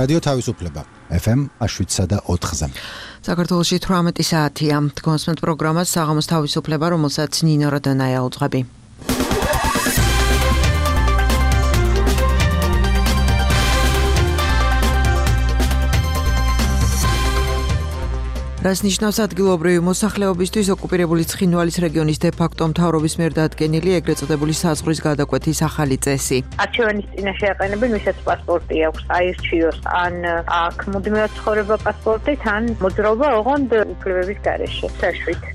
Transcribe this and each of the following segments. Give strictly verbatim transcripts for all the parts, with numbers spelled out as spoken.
რადიო თავისუფლება ეფ ემ შვიდსა და ოთხზე. საქართველოში თვრამეტი საათია. თქვენს პროგრამას საღამოს თავისუფლება, რომელსაც ნინო როდანაია უძღვები. რას ნიშნავს ადგილობრივი მოსახლეობისთვის ოკუპირებული ცხინვალის რეგიონის დე-ფაქტო მთავრობის მიერ დადგენილი ეგრეთ წოდებული საზღვრის გადაკვეთის ახალი წესი. არჩევანის წინაშე აყენებენ, ვისაც პასპორტი აქვს, აირჩიოს, ან აქ მუდმივად ცხოვრება პასპორტით, ან მოძრაობა ოღონდ უფლებების გარეშე, საშვით.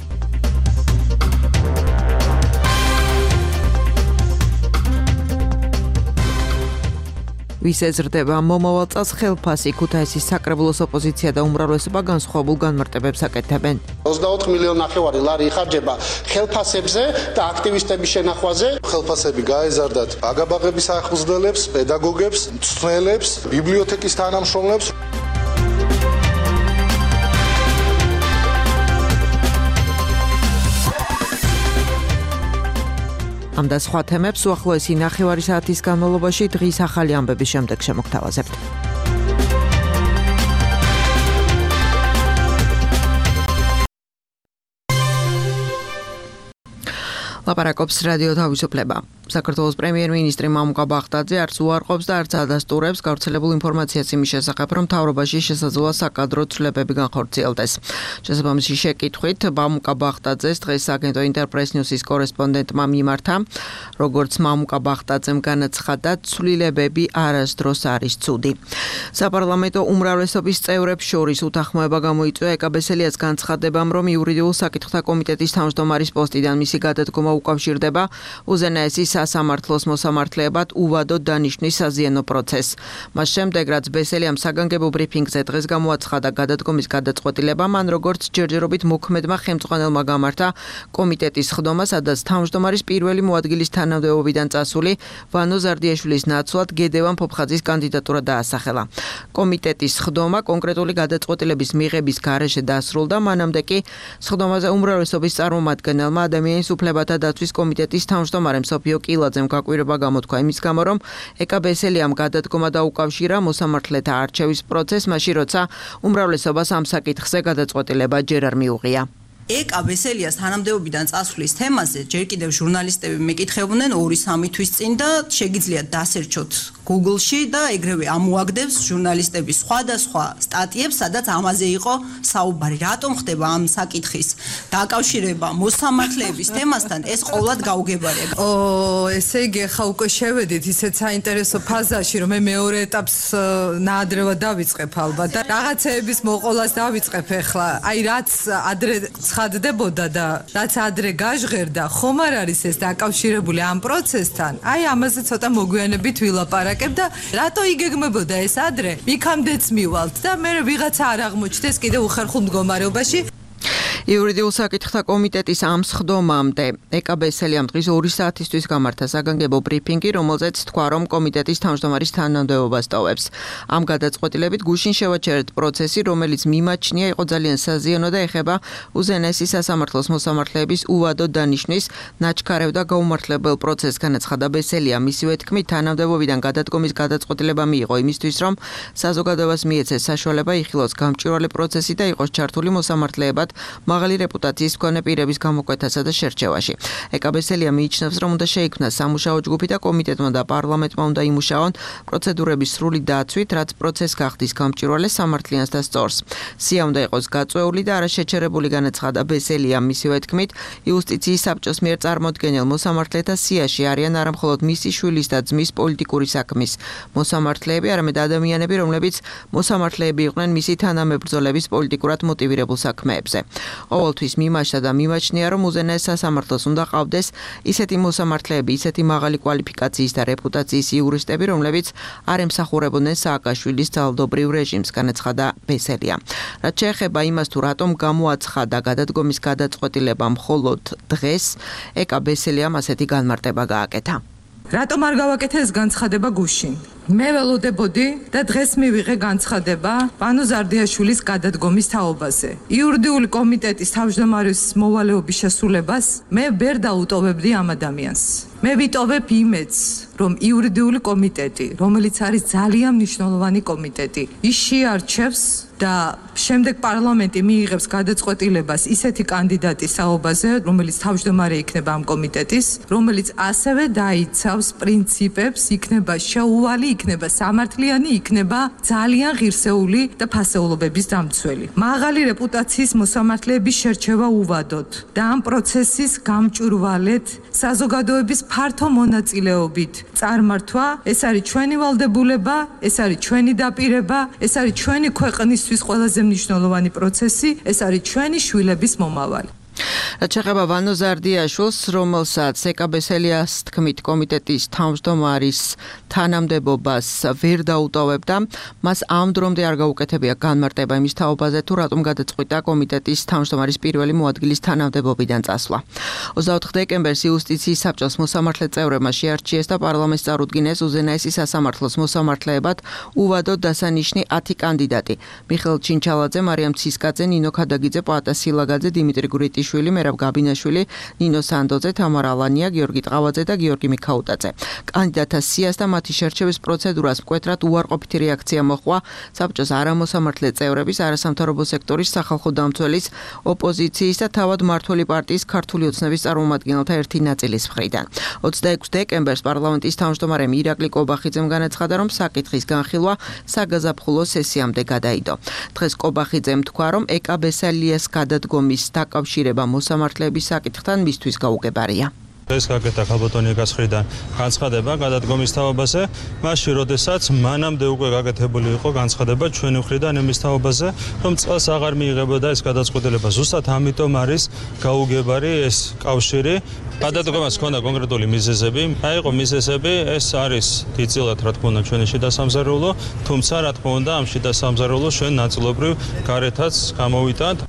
ვის ეზრდება მომავალ წელს ხელფასი, ქუთაისის საკრებულოს ოპოზიცია და უმრავლესობა განსხვავებულ განმარტებებს აკეთებენ. ოცდაოთხ მილიონი ნახევარი ლარი იხარჯება ხელფასებზე და აქტივისტების შენახვაზე. ხელფასები გაეზარდათ აგაბაღების ახსნელებს, პედაგოგებს, მწვრთნელებს, ბიბლიოთეკის თანამშრომლებს. ამ და სხვა თემებს უახლოესი ნახევარი საათის განმავლობაში დღის ახალი ამბების შემდეგ შემოგთავაზებთ. ლაპარაკობს რადიო თავისუფლება. საქართველოს პრემიერ-მინისტრი მამუკა ბახტაძე არც უარყოფს და არც ადასტურებს გავრცელებულ ინფორმაციას იმის შესახებ, რომ მთავრობაში შესაძლოა საკადრო ცვლილებები განხორციელდეს. შესაბამისი შეკითხვით მამუკა ბახტაძეს დღეს აგენტო ინტერპრეს ნიუსის კორესპონდენტმა მიმართა, როგორც მამუკა ბახტაძემ განაცხადა, ცვლილებები არასდროს არის ცუდი. საპარლამენტო უმრავლესობის წევრებს შორის უთანხმოება გამოიწვია ეკაბესელიას განცხადებამ, რომ იურიდიულ საკითხთა კომიტეტის თავმჯდომარის პოსტიდან მისი გადადგომა უკავშირდება უზენაესის სასამართლოს მოსამართლეებად უვადოდ დანიშნვის საზიანო პროცესს. მას შემდეგ, რაც ბესელიამ საგანგებო ბრიფინგზე დღეს გამოაცხადა გადადგომის გადაწყვეტილება, მან როგორც ჯერჯერობით მოქმედმა ხელმძღვანელმა გამართა კომიტეტის ხდომა, სადაც თავმჯდომარის პირველი მოადგილის თანამდებობიდან წასული ვანო ზარდიაშვილის ნაცვლად გედევან ფოფხაძის კანდიდატურა დაასახელა. კომიტეტის ხდომა კონკრეტული გადაწყვეტილების მიღების გარეშე დასრულდა, მანამდე კი ხდომაზე უმრავლესობის წარმომადგენელმა ადამიანის უფლებათა დაცვის კომიტეტის თავმჯდომარემ სოფიო კილაძემ გაკვირვება გამოთქვა იმის გამო, რომ ეკაბესელიამ გადადგომა დაუკავშირა მოსამართლეთა არჩევის პროცესს, მაშინ როცა უმრავლესობას ამ საკითხზე გადაწყვეტილება ჯერ არ მიუღია. ეკაბესელიას თანამდებობიდან წასვლის თემაზე ჯერ კიდევ ჟურნალისტები მეკითხებოდნენ ორი სამი თვის წინ და შეგიძლიათ დასერჩოთ Google-ში და ეგრევე ამოაგდებს ჟურნალისტების სხვადასხვა სტატიებს, სადაც ამაზე იყო საუბარი. რატომ ხდება ამ საკითხის დაკავშირება მოსამართლეების თემასთან, ეს ყოვლად გაუგებარია. ო, ესე იგი ხა უკვე შევედით ისეთ საინტერესო ფაზაში, რომ მე მეორე ეტაპს ნაადრევად დავიწყებ ალბათ და რაღაცეების მოყოლას დავიწყებ ახლა. აი რაც ადრე ცხადდებოდა და რაც ადრე გაჟღერდა, ხომ არ არის ეს დაკავშირებული ამ პროცესთან? აი ამაზე ცოტა მოგვიანებით ვილაპარაკებ და რატო იგეგმებოდა ეს ადრე? იქამდეც მივალთ და მე ვიღაცა არ აღმოჩნდეს კიდევ უხერხულ მდგომარეობაში. იურიდიულ საკითხთა კომიტეტის ამ სხდომამდე ეკაბესელიამ დღის ორი საათისთვის გამართა საგანგებო ბრიფინგი, რომელზეც თქვა, რომ კომიტეტის თავმჯდომარის თანამდებობას ტოვებს. ამ გადაწყვეტილებით გუშინ შევაჩერეთ პროცესი, რომელიც მიმაჩნია იყო ძალიან საზიანო და ეხება უზენაესი სასამართლოს მოსამართლეების უვადოდ დანიშნვის ნაჩქარევ და გაუმართლებელ პროცესს, განაცხადა ბესელია. მისივე თქმით, თანამდებობიდან გადადგომის გადაწყვეტილება მიიღო იმისთვის, რომ საზოგადოებას მიეცეს საშუალება იხილოს გამჭვირვალე პროცესი და იყოს ჩართული მოსამართლეებად მაღალი რეპუტაციის მქონე პირების გამოკვეთასა და შერჩევაში. ეკაბესელია მიიჩნევს, რომ უნდა შეიქმნას სამუშაო ჯგუფი და კომიტეტმა და პარლამენტმა უნდა იმუშაონ პროცედურების სრული დაცვით, რაც პროცესს გახდის გამჭვირვალე, სამართლიანს და სწორს. სია უნდა იყოს გაწვეული და არაშეჩერებული, განაცხადა ბესელია. მისივე თქმით, იუსტიციის საბჭოს მიერ წარმოდგენილ მოსამართლეთა სიაში არიან არა მხოლოდ მისი შვილის და ძმის პოლიტიკური საქმის მოსამართლეები, არამედ ადამიანები, რომლებიც მოსამართლეები იყვნენ მისი თანამებრძოლების პოლიტიკურად მოტივირებულ საქმეებზე. ყოველთვის მიმაჩნდა და მიმაჩნია, რომ უზენაეს სასამართლოს უნდა ყავდეს ისეთი მოსამართლეები, ისეთი მაღალი კვალიფიკაციის და რეპუტაციის იურისტები, რომლებიც არ ემსახურებოდნენ სააკაშვილის ძალადობრივ რეჟიმს, განაცხადა ბესელია. რაც შეეხება იმას, თუ რატომ გამოაცხადა გადადგომის გადაწყვეტილება მხოლოდ დღეს, ეკაბესელიამ ასეთი განმარტება გააკეთა. რატომ არ გავაკეთე ეს განცხადება გუშინ? მე ველოდებოდი და დღეს მივიღე განცხადება ვანო ზარდიაშვილის გადადგომის თაობაზე. იურიდიული კომიტეტის თავმჯდომარის მოვალეობის შესრულებას მე ვერ დაუტოვებდი ამ ადამიანს. მე ვიტოვებ იმედს, რომ იურიდიული კომიტეტი, რომელიც არის ძალიან მნიშვნელოვანი კომიტეტი, ის შეარჩევს და შემდეგ პარლამენტი მიიღებს გადაწყვეტილებას ისეთი კანდიდატის საუბაზე, რომელიც თავმჯდომარე იქნება ამ კომიტეტის, რომელიც ასევე დაიცავს პრინციპებს, იქნება შეუვალი, იქნება სამართლიანი, იქნება ძალიან ღირსეული და ფასეულობების დამცველი. მაღალი რეპუტაციის მოსამართლეების შერჩევა უვადოთ და ამ პროცესის გამჭვირვალედ საზოგადოების ფართო მონაწილეობით წარმართვა, ეს არის ჩვენი ვალდებულება, ეს არის ჩვენი დაპირება, ეს არის ჩვენი ქვეყნისთვის ყველაზე მნიშვნელოვანი პროცესი, ეს არის ჩვენი შვილების მომავალი. რაც შეეხება ვანო ზარდიაშვილს, რომელსაც ეკაბესელიას თქმით კომიტეტის თავმჯდომარის თანამდებობას ვერ დაუტოვებდა, მას ამ დრომდე არ გაუკეთებია განმარტება იმის თაობაზე, თუ რატომ გადაწყვიტა კომიტეტის თავმჯდომარის პირველი მოადგილის თანამდებობიდან წასვლა. ოცდაოთხ დეკემბერს იუსტიციის საბჭოს მოსამართლე წევრებმა შეარჩიეს და პარლამენტს წარუდგინეს უზენაესი სასამართლოს მოსამართლეებად უვადოდ დასანიშნი ათი კანდიდატი: მიხეილ ჩინჩალაძე, მარიამ ცისკაძე, ნინო ქადაგიძე, პოატა სილაგაძე, დიმიტრი გვრიტიშვილი, მერაბ გაბინაშვილი, ნინო სანდოძე, თამარ ალანია, გიორგი ტყავაძე და გიორგი მიქაუტაძე. კანდიდატთა სიას და მათი შერჩევის პროცედურას მკვეთრად უარყოფითი რეაქცია მოჰყვა საბჭოს არამოსამართლე წევრების, არასამთავრობო სექტორის, სახალხო დამცველის, ოპოზიციის და თავად მმართველი პარტიის ქართული ოცნების წარმომადგენელთა ერთი ნაწილის მხრიდან. ოცდაექვსი დეკემბერს პარლამენტის თავმჯდომარემ ირაკლი კობახიძემ განაცხადა, რომ საკითხის განხილვა საგაზაფხულო სესიამდე გადაიდო. დღეს კობახიძემ თქვა, რომ ეკაბესელიას გადადგომის დაკავშირება მოსამართლეების საკითხთან მისთვის გაუგებარია. ეს გაკეთა ხალბატონი ეკასხრიდან განცხადება გადადგომის თაობაზე, მაშინ როდესაც მანამდე უკვე გაკეთებული იყო განცხადება ჩვენი მხრიდან იმის თაობაზე, რომ წელს აღარ მიიღებოდა ეს გადაწყვეტილება. ზუსტად ამიტომ არის გაუგებარი ეს კავშირი. გადადგომას ჰქონდა კონკრეტული მიზეზები, აი იყო მიზეზები, ეს არის დიდწილად რა თქმა უნდა ჩვენი შიდა სამზარეულო, თუმცა რა თქმა უნდა ამ შიდა სამზარეულოს ჩვენ ნაწილობრივ გარეთაც გამოვიტანთ.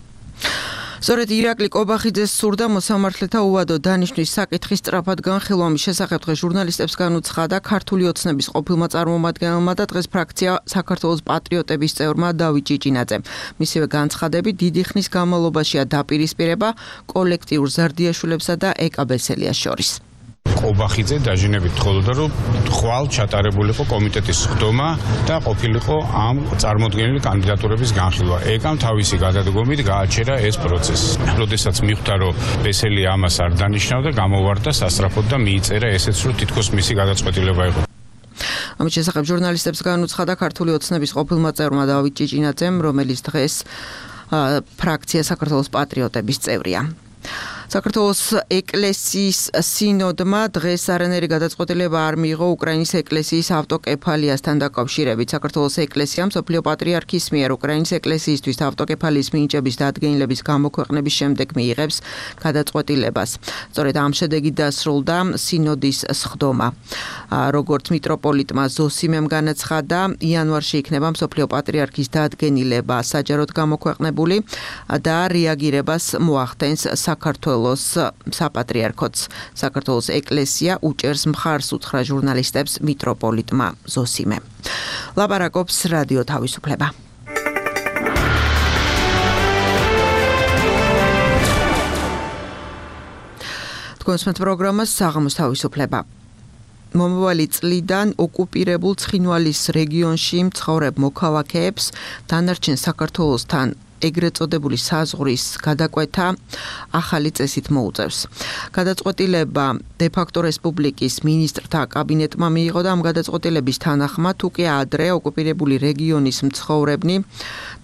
სწორედ ირაკლი კობახიძეს სურდა მოსამართლეთა უვადო დანიშვნის საკითხის სწრაფად განხილვა. ამის შესახებ დღეს ჟურნალისტებს განუცხადა ქართული ოცნების ყოფილმა წარმომადგენელმა და დღეს ფრაქცია საქართველოს პატრიოტების წევრმა დავით ჭიჭინაძემ. მისივე განცხადებით დიდი ხნის განმავლობაშია დაპირისპირება კოლექტიურ ზარდიაშვილებსა და ეკაბესელიას შორის. კობახიძე დაჟინებით თხოვდა, რომ ხვალ ჩატარებულიყო კომიტეტის ხდომა და ყოფილიყო ამ წარმოდგენილი კანდიდატურების განხილვა. ეკამ თავისი გადადგომით გააჩერა ეს პროცესი. როდესაც მიხვდა, რომ ბესელი ამას არ დანიშნავდა, გამოვარდა სასწრაფოდ და მიიწერა ესეც, რომ თითქოს მისი გადაწყვეტილება იყო. ამის შესახებ ჟურნალისტებს განუცხადა ქართული ოცნების ყოფილმა წევრმა დავით ჭიჭინაძემ, რომელიც დღეს ფრაქცია საქართველოს პატრიოტების წევრია. საქართველოს ეკლესიის სინოდმა დღეს არანაირი გადაწყვეტილება არ მიიღო უკრაინის ეკლესიის ავტოკეფალიასთან დაკავშირებით. საქართველოს ეკლესია მსოფლიო პატრიარქის მიერ უკრაინის ეკლესიისთვის ავტოკეფალიის მინიჭების დადგენილების გამოქვეყნების შემდეგ მიიღებს გადაწყვეტილებას. სწორედ ამ შედეგით დასრულდა სინოდის სხდომა. როგორც მიტროპოლიტმა ზოსიმემ განაცხადა, იანვარში იქნება მსოფლიო პატრიარქის დადგენილება საჯაროდ გამოქვეყნებული და რეაგირებას მოახდენს საქართველოს საპატრიარქოც. საქართველოს ეკლესია უჭერს მხარს უთხრა ჟურნალისტებს მიტროპოლიტმა ზოსიმემ. ლაპარაკობს რადიო თავისუფლება. თქვენს პროგრამას საღამოს თავისუფლება. მომავალი წლიდან ოკუპირებულ ცხინვალის რეგიონში მცხოვრებ მოქალაქეებს დანარჩენ საქართველოსთან ეგრეთ წოდებული საზღვრის გადაკვეთა ახალი წესით მოუწევს. გადაწყვეტილება დე-ფაქტო რესპუბლიკის მინისტრთა კაბინეტმა მიიღო და ამ გადაწყვეტილების თანახმად უკვე ადრე ოკუპირებული რეგიონის მცხოვრებნი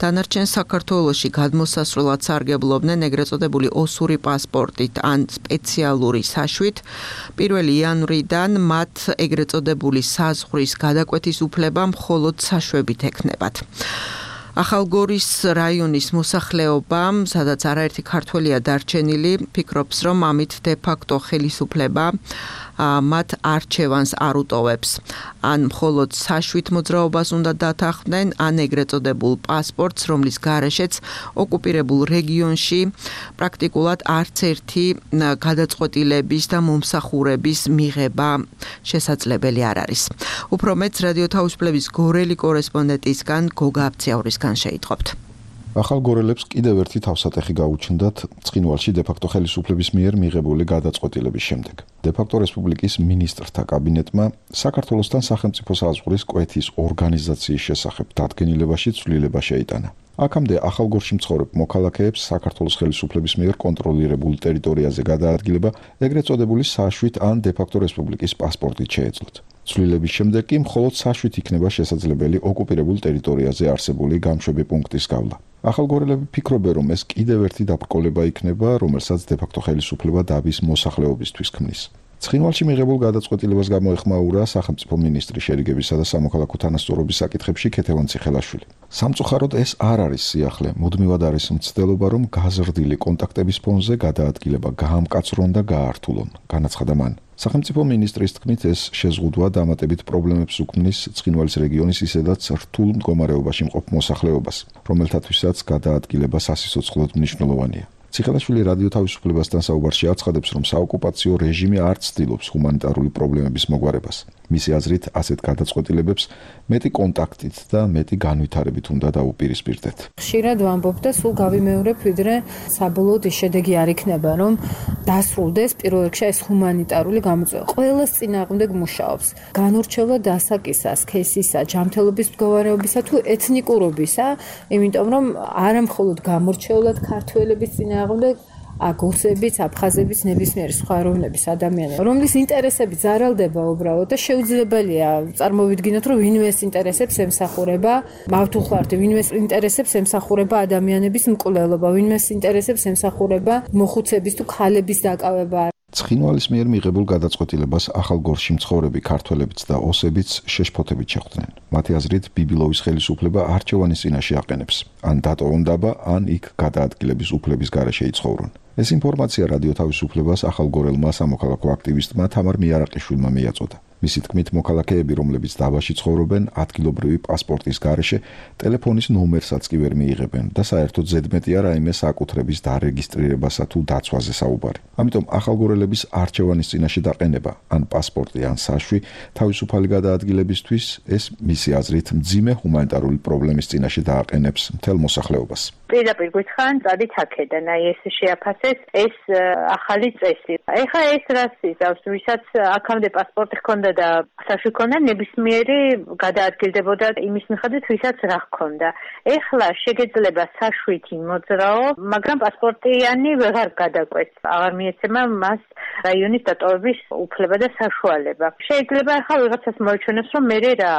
დანარჩენ საქართველოში გადმოსასვლელად სარგებლობდნენ ეგრეთ წოდებული ოსური პასპორტით ან სპეციალური საშვით. პირველი იანვრიდან მათ ეგრეთ წოდებული საზღვრის გადაკვეთის უფლება მხოლოდ საშვებით ექნებათ. ახალგორის რაიონის მოსახლეობა, სადაც არაერთი ქართველია დარჩენილი, ფიქრობს, რომ ამით დე-ფაქტო ხელისუფლება მათ არჩევანს არ უტოვებს. ან მხოლოდ საშვით მოძრაობას უნდა დათანხმდნენ, ან ეგრეთ წოდებულ პასპორტს, რომლის გარეშეც ოკუპირებულ რეგიონში პრაქტიკულად არც ერთი გადაწყვეტილების და მომსახურების მიღება შესაძლებელი არ არის. უფრო მეც რადიო თავისუფლების გორელი კორესპონდენტისგან გოგა აბციაურისგან შეიტყობთ. ახალგორელებს კიდევ ერთი თავსატეხი გაუჩნდათ ცხინვალში დე-ფაქტო ხელისუფლების მიერ მიღებული გადაწყვეტილების შემდეგ. დე-ფაქტო რესპუბლიკის მინისტრთა კაბინეტმა საქართველოსთან სახელმწიფო საზღვრის კვეთის ორგანიზაციის შესახებ დადგენილებაში ცვლილება შეიტანა. აქამდე ახალგორში მცხოვრებ მოქალაქეებს საქართველოს ხელისუფლების მიერ კონტროლირებულ ტერიტორიაზე გადაადგილება ეგრეთ წოდებული საშვით ან დე-ფაქტო რესპუბლიკის პასპორტით შეეძლოთ. ცვლილების შემდეგ კი მხოლოდ საშვით იქნება შესაძლებელი ოკუპირებულ ტერიტორიაზე არსებული გამშვები პუნქტის გავლა. ახალგორელები ფიქრობენ, რომ ეს კიდევ ერთი დაბრკოლება იქნება, რომელსაც დე-ფაქტო ხელისუფლება დაბის მოსახლეობისთვის ქმნის. ცხინვალში მიღებულ გადაწყვეტილებას გამოეხმაურა სახელმწიფო მინისტრი შერიგებისა და სამოქალაქო თანასწორობის საკითხებში ქეთევან ციხელაშვილი. სამწუხაროდ ეს არ არის სიახლე, მუდმივად არის მცდელობა, რომ გაზრდილი კონტაქტების ფონზე გადაადგილება გაამკაცრონ და გაართულონ, განაცხადა მან. სახელმწიფო მინისტრის თქმით, ეს შეზღუდვა დამატებით პრობლემებს უქმნის ცხინვალის რეგიონის ისედაც რთულ მდგომარეობაში მყოფ მოსახლეობას, რომელთათვისაც გადაადგილება სასიცოცხლოდ მნიშვნელოვანია. ციხელაშვილი რადიო თავისუფლებასთან საუბარში აცხადებს, რომ საოკუპაციო რეჟიმი არ ცდილობს ჰუმანიტარული პრობლემების მოგვარებას. მისი აზრით, ასეთ გადაწყვეტილებებს მეტი კონტაქტით და მეტი განვითარებით უნდა დაუპირისპირდეთ. ხშირად ვამბობ და სულ გავიმეორებ, ვიდრე საბოლოოდ ის შედეგი არ იქნება, რომ დასრულდეს პირველ რიგში ეს ჰუმანიტარული გამოწვევა. ყველას წინააღმდეგ მუშაობს. განურჩევლა დასაკისას, ქესისა, ჯანმრთელობის მდგომარეობისა თუ ეთნიკურობისა, იმიტომ რომ არა მხოლოდ გამორჩევლად ქართველების წინააღმდეგ აგოსების, აფხაზების, ნებისმიერი სხვა ეროვნების ადამიანები, რომლის ინტერესები ზარალდება უბრალოდ და შეუძლებელია წარმოვიდგინოთ, რომ ვინმეს ინტერესებს ემსახურება მავთუხლარდი, ვინმეს ინტერესებს ემსახურება ადამიანების მკვლელობა, ვინმეს ინტერესებს ემსახურება მოხუცების თუ ქალების დაკავება. ცხინვალის მიერ მიღებულ გადაწყვეტილებას ახალგორში მცხოვრები ქართველებიც და ოსებიც შეშფოთებით შეხვდნენ. მათი აზრით, ბიბილოვის ხელისუფლება არჩევანის წინაშე აყენებს, ან დატოვონ დაბა, ან იქ გადაადგილების უფლების გარეშე იცხოვრონ. ეს ინფორმაცია რადიო თავისუფლებას ახალგორელმა სამოქალაქო აქტივისტმა თამარ მიარაყიშვილმა მიაწოდა. მისი თქმით, მოქალაქეები, რომლებიც დაბაში ცხოვრობენ, ადგილობრივი პასპორტის გარეშე ტელეფონის ნომერსაც კი ვერ მიიღებენ და საერთოდ ზედმეტია რაიმე საკუთრების დარეგისტრირებასა თუ დაცვაზე საუბარი. ამიტომ ახალგორელების არჩევანის წინაშე დაყენება, ან პასპორტი, ან საშვი, თავისუფალი გადაადგილებისთვის ეს მისი აზრით მძიმე ჰუმანიტარული პრობლემის წინაშე დააყენებს მთელ მოსახლეობას. პირდაპირ გითხრან, წადით აქედან, აი ეს შეაფასეს ეს ახალი წესი. ეხლა ეს რას იზავს, ვისაც აქამდე პასპორტი ჰქონდა და საშვი ჰქონდა, ნებისმიერი გადაადგილდებოდა იმის მიხედვით, ვისაც რა ჰქონდა. ეხლა შეგეძლება საშვით მოძრაო, მაგრამ პასპორტიანი ვეღარ გადაკვეთს, აღარ მიეცემა მას რაიონის დატოვების უფლება და საშუალება. შეიძლება ახლა ვიღაცას მოიჩვენოს, რომ მე რა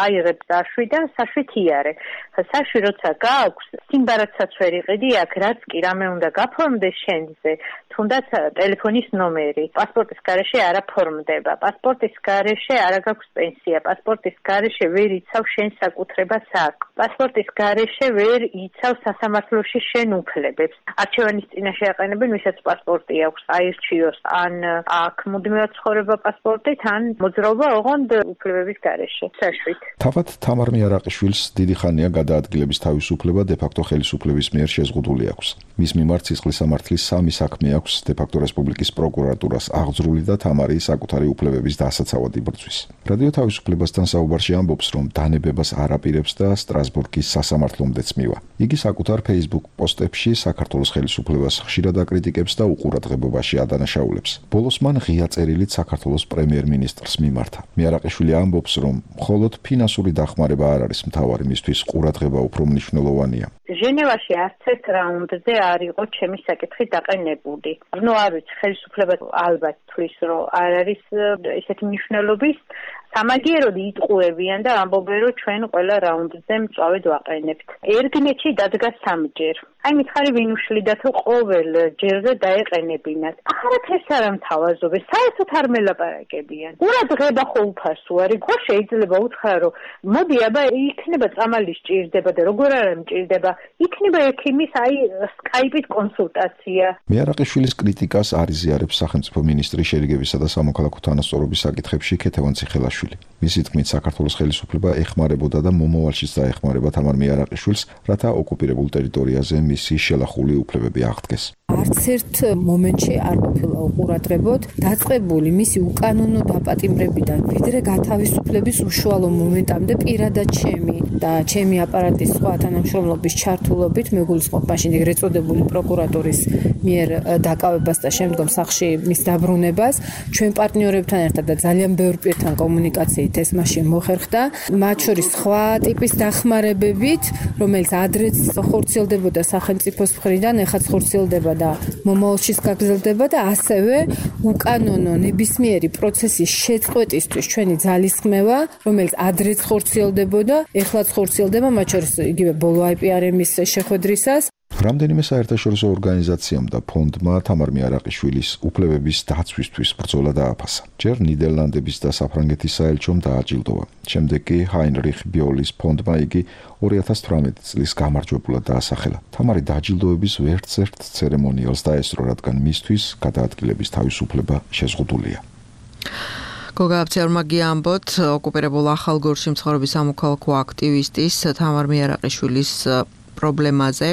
აიღებ საშვი და საშვით იარე. საშვი როცა გააქვს, სიმბარათსაც ვერ იყიდი აქ, რაც კი რამე უნდა გაფორმდეს შენზე, თუნდაც ტელეფონის ნომერი. პასპორტის გარეშე არ აფორმდება. პასპორტის გარეშე არ გაქვს პენსია. პასპორტის გარეშე ვერ იცავ შენ საკუთრებას აქ. პასპორტის გარეშე ვერ იცავ სასამართლოში შენ უფლებებს. არჩევანის წინაშე აყენებენ, ვისაც პასპორტი აქვს, აირჩიოს ან აქ მუდმივად ცხოვრება პასპორტით, ან მოძრაობა ოღონდ უფლებების გარეშე. საშვით. თავად თამარ მიარაყიშვილს დიდი ხანია გადაადგილების თავისუფლება დე-ფაქტო ხელისუფლების მიერ შეზღუდული აქვს. მის მიმართ სისხლის სამართლის სამი საქმე აქვს დე-ფაქტო რესპუბლიკის პროკურატურას აღძრული და თამარი საკუთარი უფლებების დასაცავად იბრძვის. რადიო თავისუფლებასთან საუბარში ამბობს, რომ დანებებას არ აპირებს და სტრასბურგის სასამართლომდეც მივა. იგი საკუთარ Facebook პოსტებში საქართველოს ხელისუფლებას ხშირად აკრიტიკებს და უყურადღებობაში ადანაშაულებს. ბოლოს მან ღია წერილით საქართველოს პრემიერ-მინისტრს მიმართა. მიარაყიშვილი ამბობს, რომ მხოლოდ ფინანსური დახმარება არ არის მთავარი, მისთვის ყურადღება უფრო მნიშვნელოვანია. ჟენევაში არც ერთ რაუნდზე არ იყო ჩემი საკითხი დაყენებული. ნუ არ ვიცი, ხელისუფლება ალბათ თვლის, რომ არ არის ესეთი მნიშვნელობის, სამაგიეროდ იტყუებიან და ამბობენ, რომ ჩვენ ყველა რაუნდზე მწვავედ ვაყენებთ. ერგნეთში დადგა სამჯერ. აი მითხარი ვინ უშლიდა თუ ყოველ ჯერზე დაეყენებინათ. ახლა ეს არ ამთავაზობენ, საერთოდ არ მელაპარაკებიან. ყურადღება ხო უფასო არის, ხო შეიძლება უთხრა რომ მოდი აბა იქნება წამალი სჭირდება და როგორ არ მჭირდება, იქნება ექიმის აი სკაიპით კონსულტაცია. მეარაყიშვილის კრიტიკას არ იზიარებს სახელმწიფო მინისტრი შერიგებისა და სამოქალაქო თანასწორობის საკითხებში ქეთევან ციხელაშვილი. მისი თქმით, საქართველოს ხელისუფლება ეხმარებოდა და მომავალშიც დაეხმარება თამარ მეარაყიშვილს, რათა ოკუპირებულ ტერიტორიაზე მისი შელახული უფლებები აღდგეს. არც ერთ მომენტში არ ყოფილა უყურადღებოდ დაწყებული მისი უკანონო დაპატიმრებიდან, ვიდრე გათავისუფლების უშუალო მომენტამდე პირადად ჩემი და ჩემი აპარატის სხვა თანამშრომლობის ჩართულობით მეგულისხმობ მაშინ ეგრეთ წოდებული პროკურატურის მიერ დაკავებას და შემდგომ სახლში მის დაბრუნებას ჩვენ პარტნიორებთან ერთად და ძალიან ბევრ პირთან კომუნიკაციით ეს მაშინ მოხერხდა, მათ შორის სხვა ტიპის დახმარებებით, რომელიც ადრეც ხორციელდებოდა სახელმწიფოს მხრიდან, ეხაც ხორციელდება და მომავალშიც გაგრძელდება და ასევე უკანონო ნებისმიერი პროცესის შეწყვეტისთვის ჩვენი ძალისხმევა, რომელიც ადრეც ხორციელდებოდა, ეხლაც ხორციელდება, მათ შორის იგივე ბოლო აი პი არ ემის შეხვედრისას. რამდენიმე საერთაშორისო ორგანიზაციამ და ფონდმა თამარ მეარაყიშვილის უფლებების დაცვისთვის ბრძოლა დააფასა. ჯერ ნიდერლანდების და საფრანგეთის საელჩომ დააჯილდოვა. შემდეგ კი ჰაინრიხ ბიოლის ფონდმა იგი ორი ათას თვრამეტი წლის გამარჯვებულად დაასახელა. თამარი დაჯილდოების ვერცერთ ცერემონიალს დაესწრო, რადგან მისთვის გადაადგილების თავისუფლება შეზღუდულია. გოგა აფციარმა გიამბოთ, ოკუპირებულ ახალგორში მცხოვრების სამოქალაქო აქტივისტის თამარ მეარაყიშვილის პრობლემაზე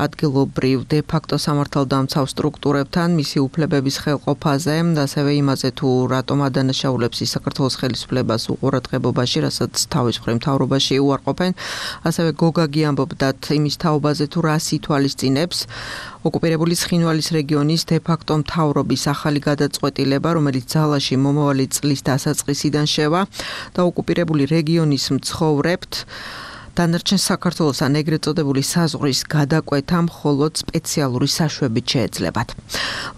ადგილობრივ დე-ფაქტო სამართალდამცავ სტრუქტურებთან მისი უფლებების ხელყოფაზე და ასევე იმაზე თუ რატომ ადანაშაულებს ის საქართველოს ხელისუფლებას უყურადღებობაში, რასაც თავის მხრივ მთავრობაში უარყოფენ. ასევე გოგა გიამბობდათ იმის თაობაზე თუ რას ითვალისწინებს ოკუპირებული ცხინვალის რეგიონის დე-ფაქტო მთავრობის ახალი გადაწყვეტილება, რომელიც ძალაში მომავალი წლის დასაწყისიდან შევა და ოკუპირებული რეგიონის მცხოვრებთ დანარჩენ საქართველოსთან ეგრეთ წოდებული საზღვრის გადაკვეთა მხოლოდ სპეციალური საშვებით შეეძლებათ.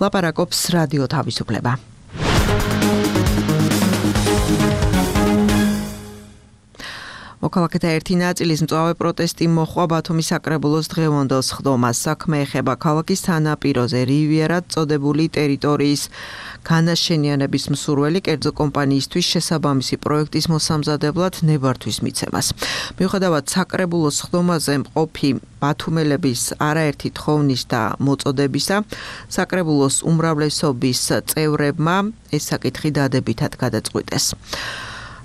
ლაპარაკობს რადიო თავისუფლება. მოქალაქეთა ერთი ნაწილის მწვავე პროტესტი მოჰყვა ბათუმის საკრებულოს დღევანდელ სხდომას. საქმე ეხება ქალაქის სანაპიროზე რივიერად წოდებული ტერიტორიის განაშენიანების მსურველი კერძო კომპანიისთვის შესაბამისი პროექტის მოსამზადებლად ნებართვის მიცემას. მიუხედავად საკრებულოს სხდომაზე მყოფი ბათუმელების არაერთი თხოვნის და მოწოდებისა, საკრებულოს უმრავლესობის წევრებმა ეს საკითხი დადებითად გადაწყვიტეს.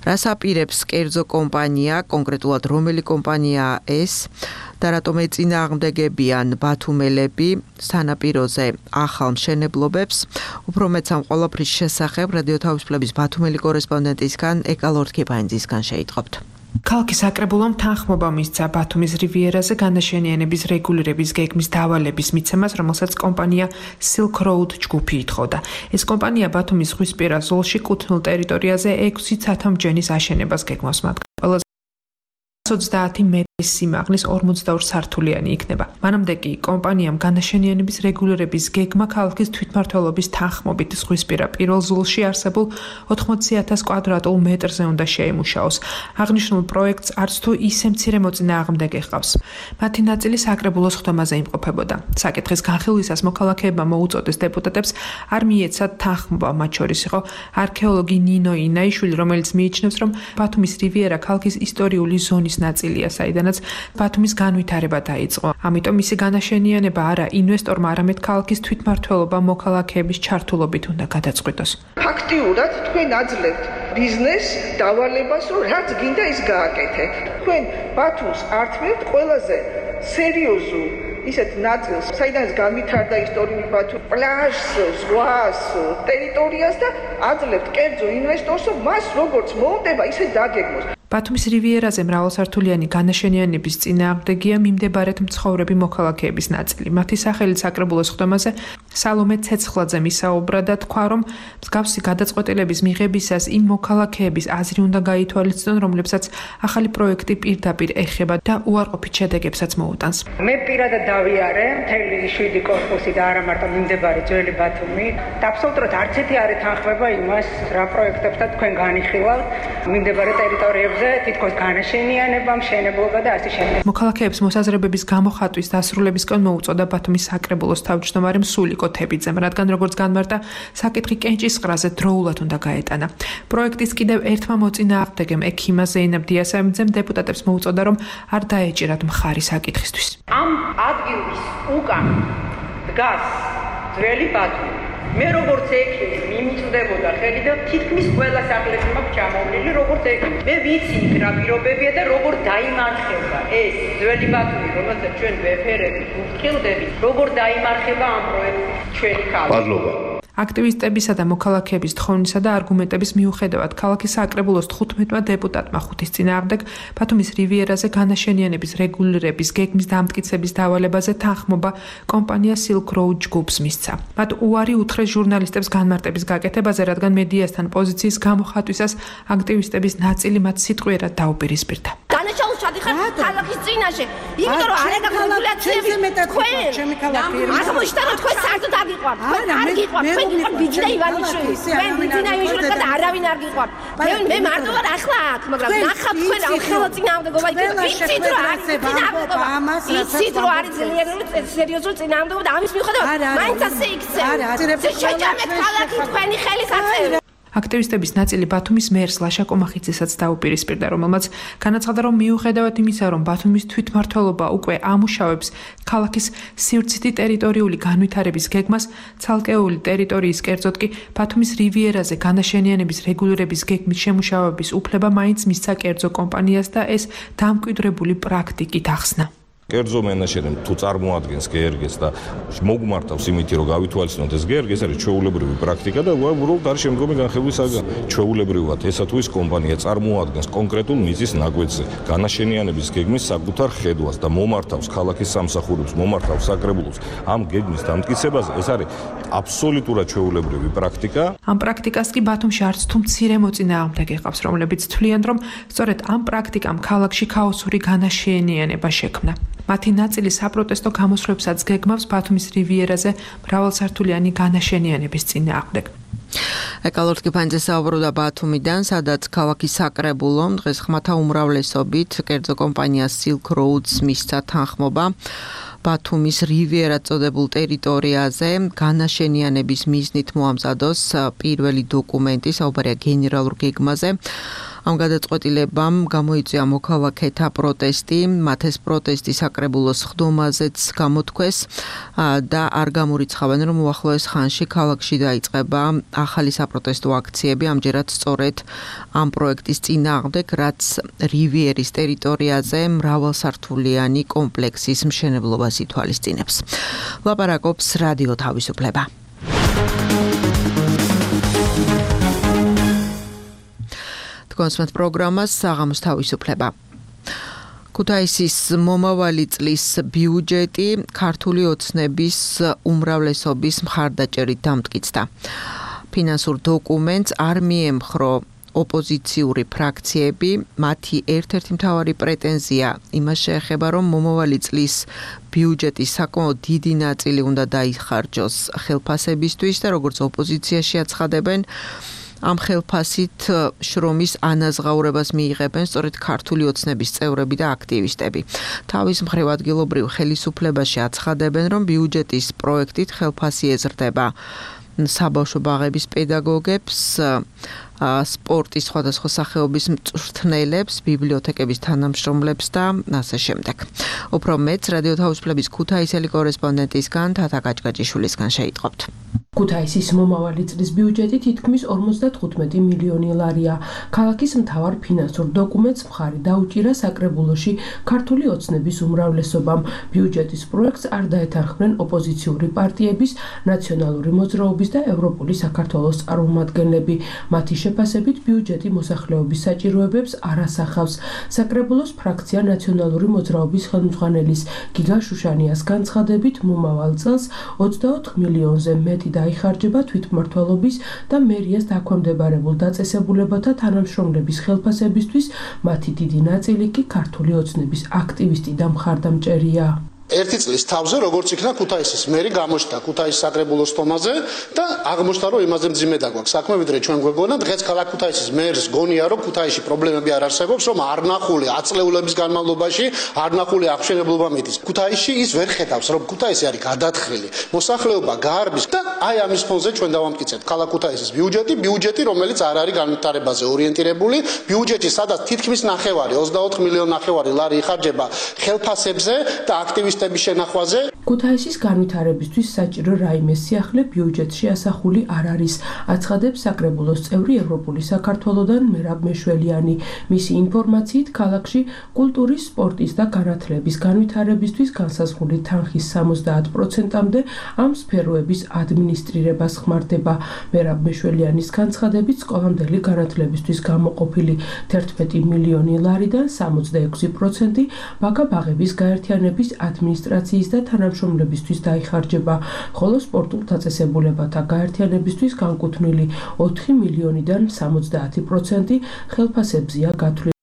რას აპირებს კერძო კომპანია, კონკრეტულად რომელი კომპანიაა ეს და რატომ ეწინააღმდეგებიან ბათუმელები სანაპიროზე ახალ მშენებლობებს, უფრო მეც ამ ყველაფრის შესახებ რადიო თავისუფლების ბათუმელი კორესპონდენტისგან ეკა ლორდ-კიფაინძისგან შეიტყობთ. ქალაქის საკრებულომ თანხმობა მისცა ბათუმის რივიერაზე განაშენიანების რეგულირების გეგმის დავალების მიცემას, რომელსაც კომპანია Silk Road ჯგუფი ითხოვდა. ეს კომპანია ბათუმის ზღვისპირა ზოლში კუთვნილ ტერიტორიაზე ექვსი ცათამბჯენის აშენებას გეგმავს. მათ ყველაზე ოცდაათი მეტრის სიმაღლის ორმოცდაორი სართულიანი იქნება. მანამდე კი კომპანიამ განაშენიანების რეგულირების გეგმა ქალაქის თვითმმართველობის თანხმობით ზღვისპირა პირველ ზოლში არსებულ ოთხმოცი ათას კვადრატულ მეტრზე უნდა შეიმუშაოს. აღნიშნულ პროექტს არც თუ ისე მცირე მოწინააღმდეგე ჰყავს. მათი ნაწილი საკრებულოს სხდომაზე იმყოფებოდა. საკითხის განხილვისას მოქალაქეებმა მოუწოდეს დეპუტატებს არ მიეცათ თანხმობა, მათ შორის იყო არქეოლოგი ნინო ინაიშვილი, რომელიც მიიჩნევს, რომ ბათუმის რივიერა ქალაქის ისტორიული ზონის ნაწილია, საიდანაც ბათუმის განვითარება დაიწყო. ამიტომ მისი განაშენიანება არა ინვესტორმა, არამედ ქალაქის თვითმმართველობა მოქალაქეების ჩართულობით უნდა გადაწყვიტოს. ფაქტიურად თქვენ აძლევთ ბიზნესს დავალებას, რომ რაც გინდა ის გააკეთე. თქვენ ბათუმს ართმევთ ყველაზე სერიოზულ ისეთ ნაწილს, საიდანაც განვითარდა ისტორიული ბათუმი, პლაჟს, ზღვას, ტერიტორიას და აძლევთ კერძო ინვესტორს, რომ მას როგორც მოუნდება, ისე დაგეგმოს. ბათუმის რივიერაზე მრავალსართულიანი განაშენიანების წინააღმდეგია მიმდებარედ მცხოვრები მოქალაქეების ნაწილი. მათი სახელით საკრებულოს სხდომაზე სალომე ცეცხლაძე მისაუბრა და თქვა, რომ მსგავსი გადაწყვეტილების მიღებისას იმ მოქალაქეების აზრი უნდა გაითვალისწინონ, რომლებსაც ახალი პროექტი პირდაპირ ეხება და უარყოფით შედეგებსაც მოუტანს. მე პირადად დავიარე მთელი შვიდი კორპუსი და არა მარტო მიმდებარე ძველი ბათუმი და აბსოლუტურად არც ერთი არ ეთანხმება იმას, რა პროექტებსაც თქვენ განიხილავთ მიმდებარე ტერიტორიებზე, თითქოს განაშენიანება, მშენებლობა და ასე შემდეგ. მოქალაქეებს მოსაზრებების გამოხატვის დასრულებისკენ მოუწოდა ბათუმის საკრებულოს თავმჯდომარე მსულიკო თებიძემ, რადგან როგორც განმარტა, საკითხი კენჭისყრაზე დროულად უნდა გაეტანა. პროექტის კიდევ ერთმა მოწინააღმდეგემ ექიმა ზეინებ დიასამიძემ დეპუტატებს მოუწოდა, რომ არ დაეჭირათ მხარი საკითხისთვის. ამ ადგილის უკან დგას ძველი ბათუმი. მე როგორც ექიმი მიმიწვდებოდა ხელი და თითქმის ყველა სახლებში მაქვს ჩამოვლილი როგორც ექიმი. მე ვიცი იქ რა პირობებია და როგორ დაიმარხება ეს ძველი ბათუმი, რომელსაც ჩვენ ვეფერებით, ვფრთხილდებით, როგორ დაიმარხება ამ პროექტს ჩვენი ქალაქი. აქტივისტებისა და მოქალაქეების თხოვნისა და არგუმენტების მიუხედავად ქალაქის საკრებულოს თხუთმეტმა დეპუტატმა ხუთის წინააღმდეგ ბათუმის რივიერაზე განაშენიანების რეგულირების გეგმის დამტკიცების დავალებაზე თანხმობა კომპანია Silk Road ჯგუფს მისცა. მათ უარი უთხრეს ჟურნალისტებს განმარტების გაკეთებაზე, რადგან მედიასთან პოზიციის გამოხატვისას აქტივისტების ნაწილი მათ სიტყვიერად დაუპირისპირდა. განაშაულს ჩადიხარ ქალაქის წინაშე, იმიტომ რომ არ ეგაგულაციები თქვენ აღმოჩნდა რომ თქვენ საერთოდ არ გიყვართ, არ გიყვართ. ბიძინა ივანიშვილი, მე ბიძინა ივანიშვილი და არავინ არ გიყვართ. მე მე მარტო ვარ ახლა აქ, მაგრამ ნახავთ თქვენ ამ ხელო წინააღმდეგობა, იცით რომ არის წინააღმდეგობა, იცით რომ არის ძლიერული სერიოზული წინააღმდეგობა და ამის მიუხედავად მაინც ასე იქცევთ. შეჭამეთ ქალაქი თქვენი ხელის აწევი. აქტივისტების ნაწილი ბათუმის მერს ლაშა კომახიძესაც დაუპირისპირდა, რომელმაც განაცხადა, რომ მიუხედავად იმისა, რომ ბათუმის თვითმმართველობა უკვე ამუშავებს ქალაქის სივრცითი ტერიტორიული განვითარების გეგმას, ცალკეული ტერიტორიის, კერძოდ კი ბათუმის რივიერაზე განაშენიანების რეგულირების გეგმის შემუშავების უფლება მაინც მისცა კერძო კომპანიას და ეს დამკვიდრებული პრაქტიკით ახსნა. კერძო მენაჟერიმ თუ წარმოადგენს გე er ges და მოგმართავს იმით, რომ გავითვალისწინოთ ეს გე er ges, არის ჩვეულებრივი პრაქტიკა და უბრალოდ არის შემდგომი განხილვის საგანი. ჩვეულებრივად ესა თუ ის კომპანია წარმოადგენს კონკრეტულ მიზის ნაკვეთზე განაშენიანების გეგმის საკუთარ ხედვას და მომართავს ქალაქის სამსახურებს, მომართავს საკრებულოს ამ გეგმის დამტკიცებაზე, ეს არის აბსოლუტურად ჩვეულებრივი პრაქტიკა. ამ პრაქტიკას კი ბათუმში არც თუ მცირე მოწინააღმდეგე ყავს, რომლებიც თვლიან, რომ სწორედ ამ პრაქტიკამ ქალაქში ქაოსური განაშენიანება შექმნა. მათი ნაწილი საპროტესტო გამოსვლებსაც გეგმავს ბათუმის რივიერაზე მრავალსართულიანი განაშენიანების წინააღმდეგ. ეკალორტ კიფანიძე საუბრობდა ბათუმიდან, სადაც ქალაქის საკრებულომ დღეს ხმათა უმრავლესობით კერძო კომპანია Silk Road-ს მისცა თანხმობა ბათუმის რივიერად წოდებულ ტერიტორიაზე განაშენიანების მიზნით მოამზადოს პირველი დოკუმენტი, საუბარია გენერალურ გეგმაზე. ამ გადაწყვეტილებამ გამოიწვია მოქალაქეთა პროტესტი, მათ ეს პროტესტი საკრებულოს ხდომაზეც გამოთქვეს და არ გამორიცხავენ, რომ უახლოეს ხანში ქალაქში დაიწყება ახალი საპროტესტო აქციები, ამჯერად სწორედ ამ პროექტის წინააღმდეგ, რაც რივიერის ტერიტორიაზე მრავალსართულიანი კომპლექსის მშენებლობას ითვალისწინებს. ლაპარაკობს რადიო თავისუფლება. კონსმეთ პროგრამას საღამოს თავისუფლება. ქუთაისის მომავალი წლის ბიუჯეტი ქართული ოცნების უმრავლესობის მხარდაჭერით დამტკიცდა. ფინანსურ დოკუმენტს არ მიემხრო ოპოზიციური ფრაქციები, მათი ერთ-ერთი მთავარი პრეტენზია იმას შეეხება, რომ მომავალი წლის ბიუჯეტის საკმაოდ დიდი ნაწილი უნდა დაიხარჯოს ხელფასებისთვის და როგორც ოპოზიციაში აცხადებენ, ამ ხელფასით შრომის ანაზღაურებას მიიღებენ სწორედ ქართული ოცნების წევრები და აქტივისტები. თავის მხრივ ადგილობრივ ხელისუფლებაში აცხადებენ, რომ ბიუჯეტის პროექტით ხელფასი ეზრდება საბავშვო ბაღების პედაგოგებს, სპორტის სხვადასხვა სახეობის მწვრთნელებს, ბიბლიოთეკების თანამშრომლებს და ასე შემდეგ. უფრო მეტს რადიო თავისუფლების ქუთაისელი კორესპონდენტისგან თათა კაჭკაჭიშვილისგან შეიტყობთ. ქუთაისის მომავალი წლის ბიუჯეტი თითქმის ორმოცდათხუთმეტი მილიონი ლარია. ქალაქის მთავარ ფინანსურ დოკუმენტს მხარი დაუჭირა საკრებულოში ქართული ოცნების უმრავლესობამ. ბიუჯეტის პროექტს არ დაეთანხმნენ ოპოზიციური პარტიების, ნაციონალური მოძრაობის და ევროპული საქართველოს წარმომადგენლები. მათი შეფასებით ბიუჯეტი მოსახლეობის საჭიროებებს არ ასახავს. საკრებულოს ფრაქცია ნაციონალური მოძრაობის ხელმძღვანელის გიგა შუშანიას განცხადებით მომავალ წელს ოცდაოთხ მილიონზე მეტი დაიხარჯება თვითმმართველობის და მერიას დაქვემდებარებულ დაწესებულებათა თანამშრომლების ხელფასებისთვის, მათი დიდი ნაწილი კი ქართული ოცნების აქტივისტი და მხარდამჭერია. ერთი წლის თავზე როგორც იქნა ქუთაისის მერი გამოჩნდა ქუთაისის საკრებულოს თომაზე და აღმოჩნდა რომ იმაზე მძიმე დაგვაქვს საქმე ვიდრე ჩვენ გვეგონა დღეს ქალაქ ქუთაისის მერს გონია რომ ქუთაისში პრობლემები არ არსებობს რომ არ ნახული აწლეულების განმავლობაში არ ნახული აღშენებლობა მიდის ქუთაისში ის ვერ ხედავს რომ ქუთაისი არის გადათხილი მოსახლეობა გაარბის და აი ამის ფონზე ჩვენ დავამტკიცებთ ქალაქ ქუთაისის ბიუჯეტი ბიუჯეტი რომელიც არ არის განვითარებაზე ორიენტირებული ბიუჯეტი სადაც თითქმის ნახევარი ოცდაოთხ მილიონი ნახევარი ლარი იხარჯება ხელფასებზე და აქტივისტ ქუთაისის განვითარებისთვის საჭირო რაიმე სიახლე ბიუჯეტში ასახული არ არის, აცხადებს საკრებულოს წევრი ევროპული საქართველოდან მერაბ მეშველიანი. მისი ინფორმაციით, ქალაქში კულტურის, სპორტის და განათლების განვითარებისთვის განსაზღვრული თანხის სამოცდაათ პროცენტამდე ამ სფეროების ადმინისტრირებას ხმარდება. მერაბ მეშველიანის განცხადებით, სკოლამდელი განათლებისთვის გამოყოფილი თერთმეტი მილიონი ლარიდან სამოცდაექვსი პროცენტი ბაგა-ბაღების გაერთიანების ადმინისტრაციის და თანამშრომლებისთვის დაიხარჯება, ხოლო სპორტულ დაწესებულებათა გაერთიანებისთვის განკუთვნილი ოთხი მილიონიდან სამოცდაათი პროცენტი ხელფასებზეა გათვლილი.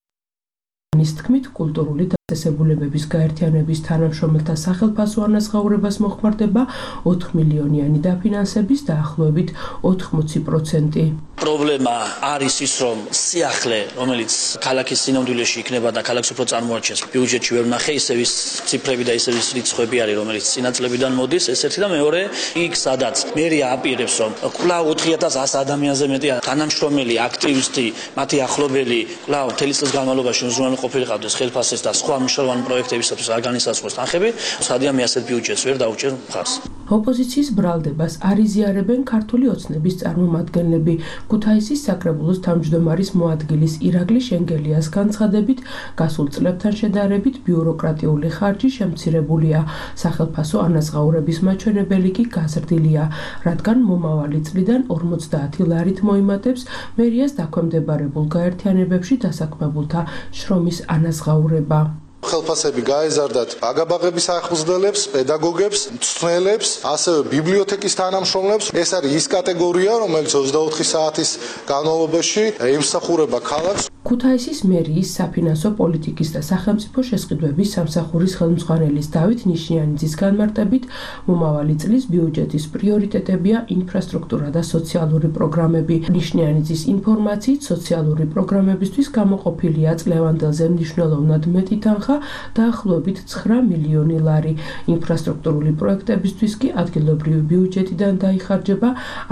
ის თქმით, კულტურული დაწესებულებების გაერთიანების თანამშრომელთა სახელფასო ანაზღაურებას მოხმარდება ოთხ მილიონიანი დაფინანსების დაახლოებით ოთხმოცი პროცენტი. პრობლემა არის ის, რომ სიახლე, რომელიც ქალაქის სინამდვილეში იქნება და ქალაქს უფრო წარმოაჩენს, ბიუჯეტში ვერ ვნახე ისევ ის ციფრები და ისევ ის რიცხვები არის, რომელიც წინა წლებიდან მოდის, ეს ერთი და მეორე, იქ სადაც მერია აპირებს, რომ კვლავ ოთხი ათას ას ადამიანზე მეტი თანამშრომელი, აქტივისტი, მათი ახლობელი, კვლავ მთელი წლის განმავლობაში უზრუნველყოფილი ყოფილიყავდეს ხელფასის და სხვა მნიშვნელოვანი პროექტებისათვის არ განისაზღვროს თანხები, სადიამი ასეთ ბიუჯეტს ვერ დაუჭერ მხარს. ოპოზიციის ბრალდებას არ იზიარებენ ქართული ოცნების წარმომადგენლები. ქუთაისის საკრებულოს თავმჯდომარის მოადგილის ირაკლი შენგელიას განცხადებით, გასულ წლებთან შედარებით ბიუროკრატიული ხარჯი შემცირებულია. სახელფასო ანაზღაურების მაჩვენებელი კი გაზრდილია, რადგან მომავალი წლიდან ორმოცდაათი ლარით მოიმატებს მერიას დაქვემდებარებულ გაერთიანებებში დასაქმებულთა შრომის ანაზღაურება. ხელფასები გაეზარდათ ბაგა-ბაღების აღზრდელებს, პედაგოგებს, მწვრთნელებს, ასევე ბიბლიოთეკის თანამშრომლებს. ეს არის ის კატეგორია, რომელიც ოცდაოთხი საათის განმავლობაში ემსახურება ქალაქს. ქუთაისის მერიის საფინანსო პოლიტიკის და სახელმწიფო შესყიდვების სამსახურის ხელმძღვანელის დავით ნიშნიანიძის განმარტებით, მომავალი წლის ბიუჯეტის პრიორიტეტებია ინფრასტრუქტურა და სოციალური პროგრამები. ნიშნიანიძის ინფორმაციით, სოციალური პროგრამებისთვის გამოყოფილია წლევანდელზე მნიშვნელოვნად მეტი თანხა დაახლოებით ცხრა მილიონი ლარი. ინფრასტრუქტურული პროექტებისთვის კი ადგილობრივი ბიუჯეტიდან დაიხარჯება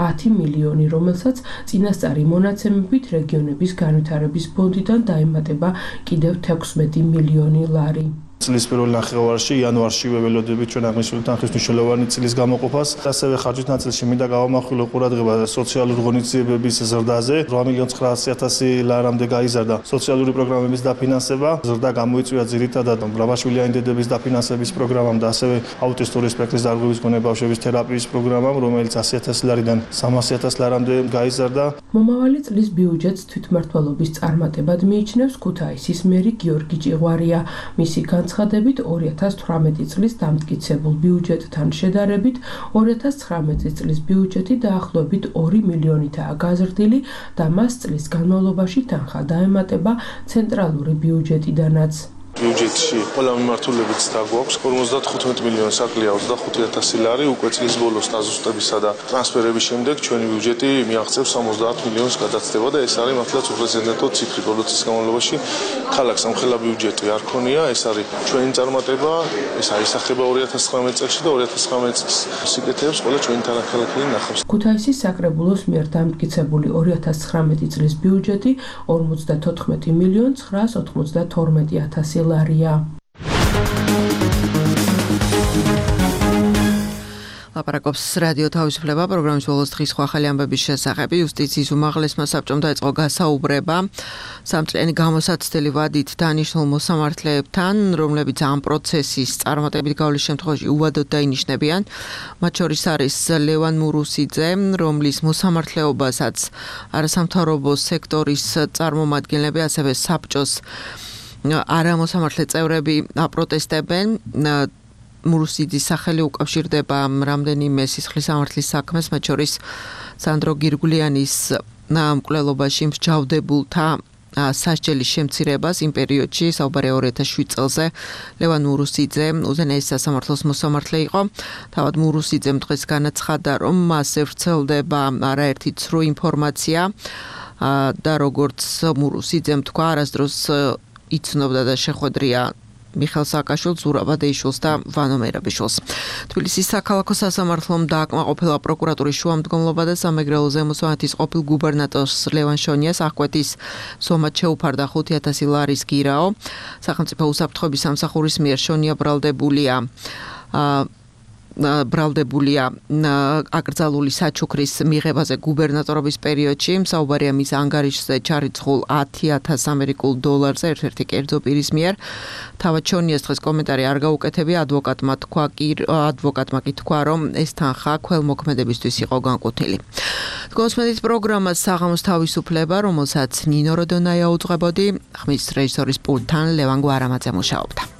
ათი მილიონი, რომელსაც წინასწარი მონაცემებით რეგიონების განვითარების ფონდიდან დაემატება კიდევ თექვსმეტი მილიონი ლარი. წლის პირველ ნახევარში იანვარშივე ველოდებით ჩვენ აღნიშნული თანხის მნიშვნელოვანი წლის გამოყოფას. ასევე ხარჯის ნაწილში მინდა გავამახვილო ყურადღება სოციალური ღონისძიებების ზრდაზე. რვა მილიონი ცხრაასი ათასი ლარამდე გაიზარდა სოციალური პროგრამების დაფინანსება. ზრდა გამოიწვია ძირითადად მრავალშვილიანი დედების დაფინანსების პროგრამამ და ასევე აუტისტური სპექტრის დარღვევის მქონე ბავშვების თერაპიის პროგრამამ, რომელიც ასი ათასი ლარიდან სამასი ათასი ლარამდე გაიზარდა. მომავალი წლის ბიუჯეტს თვითმმართველობის წარმატებად მიიჩნევს ქუთაისის მერი გიორგი ჭიღვარია. მისი განცხადებით ორი ათას თვრამეტი წლის დამტკიცებულ ბიუჯეტთან შედარებით ორი ათას ცხრამეტი წლის ბიუჯეტი დაახლოებით ორი მილიონითაა გაზრდილი და მას წლის განმავლობაში თანხა დაემატება ცენტრალური ბიუჯეტიდანაც. ბიუჯეტში ყველა მიმართულებიც დაგვაქვს ორმოცდათხუთმეტი მილიონი საკლია ოცდახუთი ათასი ლარი უკვე წლის ბოლოს დაზუსტებისა და ტრანსფერების შემდეგ ჩვენი ბიუჯეტი მიაღწევს სამოცდაათ მილიონს გადაცდება და ეს არის მართლაც უპრეცედენტო ციფრი ბოლო წლის განმავლობაში ქალაქს ამხელა ბიუჯეტი არ ქონია ეს არის ჩვენი წარმატება ეს აისახება ორი ათას ცხრამეტი წელს და ორი ათას ცხრამეტი წლის სიკეთეებს ყველა ჩვენი თანახმადებელი ნახავს. ქუთაისის საკრებულოს მიერ დამტკიცებული ორი ათას ცხრამეტი წლის ბიუჯეტი ორმოცდათოთხმეტი მილიონი ცხრაას ოთხმოცდათორმეტი ათასი ლარია. ლაპარაკობს რადიო თავისუფლება პროგრამის ბოლოს დღის სხვა ახალი ამბების შესახებ. იუსტიციის უმაღლესმა საბჭომ დაიწყო გასაუბრება სამწლიანი გამოსაცდელი ვადით დანიშნულ მოსამართლეებთან, რომლებიც ამ პროცესის წარმატებით გავლის შემთხვევაში უვადოდ დაინიშნებიან. მათ შორის არის ლევან მურუსიძე, რომლის მოსამართლეობასაც არასამთავრობო სექტორის წარმომადგენლები, ასევე საბჭოს არამოსამართლე წევრები აპროტესტებენ. მურუსიძის სახელი უკავშირდება რამდენიმე სისხლის სამართლის საქმეს, მათ შორის სანდრო გირგულიანის მკვლელობაში მსჯავრდებულთა სასჯელის შემცირებას იმ პერიოდში, საუბარია ორი ათას შვიდ წელზე. ლევან მურუსიძე უზენაეს სასამართლოს მოსამართლე იყო. თავად მურუსიძემ დღეს განაცხადა, რომ მასზე ვრცელდება არაერთი ცრუ ინფორმაცია და როგორც მურუსიძემ თქვა, არასდროს იცნობდა და შეხვედრია მიხელ სააკაშვილს, ზურაბ ადეიშვილს და ვანო მერაბიშვილს. თბილისის საქალაქო სასამართლომ დააკმაყოფილა პროკურატურის შუამდგომლობა და სამეგრელო ზემოსვანეთის ყოფილ გუბერნატორს ლევან შონიას აღკვეთის სომად შეუფარდა ხუთი ათასი ლარის გირაო. სახელმწიფო უსაფრთხოების სამსახურის მიერ შონია ბრალდებულია ბრალდებულია აკრძალული საჩუქრის მიღებაზე გუბერნატორობის პერიოდში. საუბარია მის ანგარიშზე ჩარიცხულ ათი ათას ამერიკულ დოლარზე ერთ-ერთი კერძო პირის მიერ. თავად შონიას დღეს კომენტარი არ გაუკეთებია. ადვოკატმა თქვა კი ადვოკატმა კი თქვა, რომ ეს თანხა ქველმოქმედებისთვის იყო განკუთვნილი. გოსმედიის პროგრამას საღამოს თავისუფლება, რომელსაც ნინო როდონაია უძღვებოდი, ხმის რეჟისორის პულტთან ლევან გვარამაძე მუშაობდა.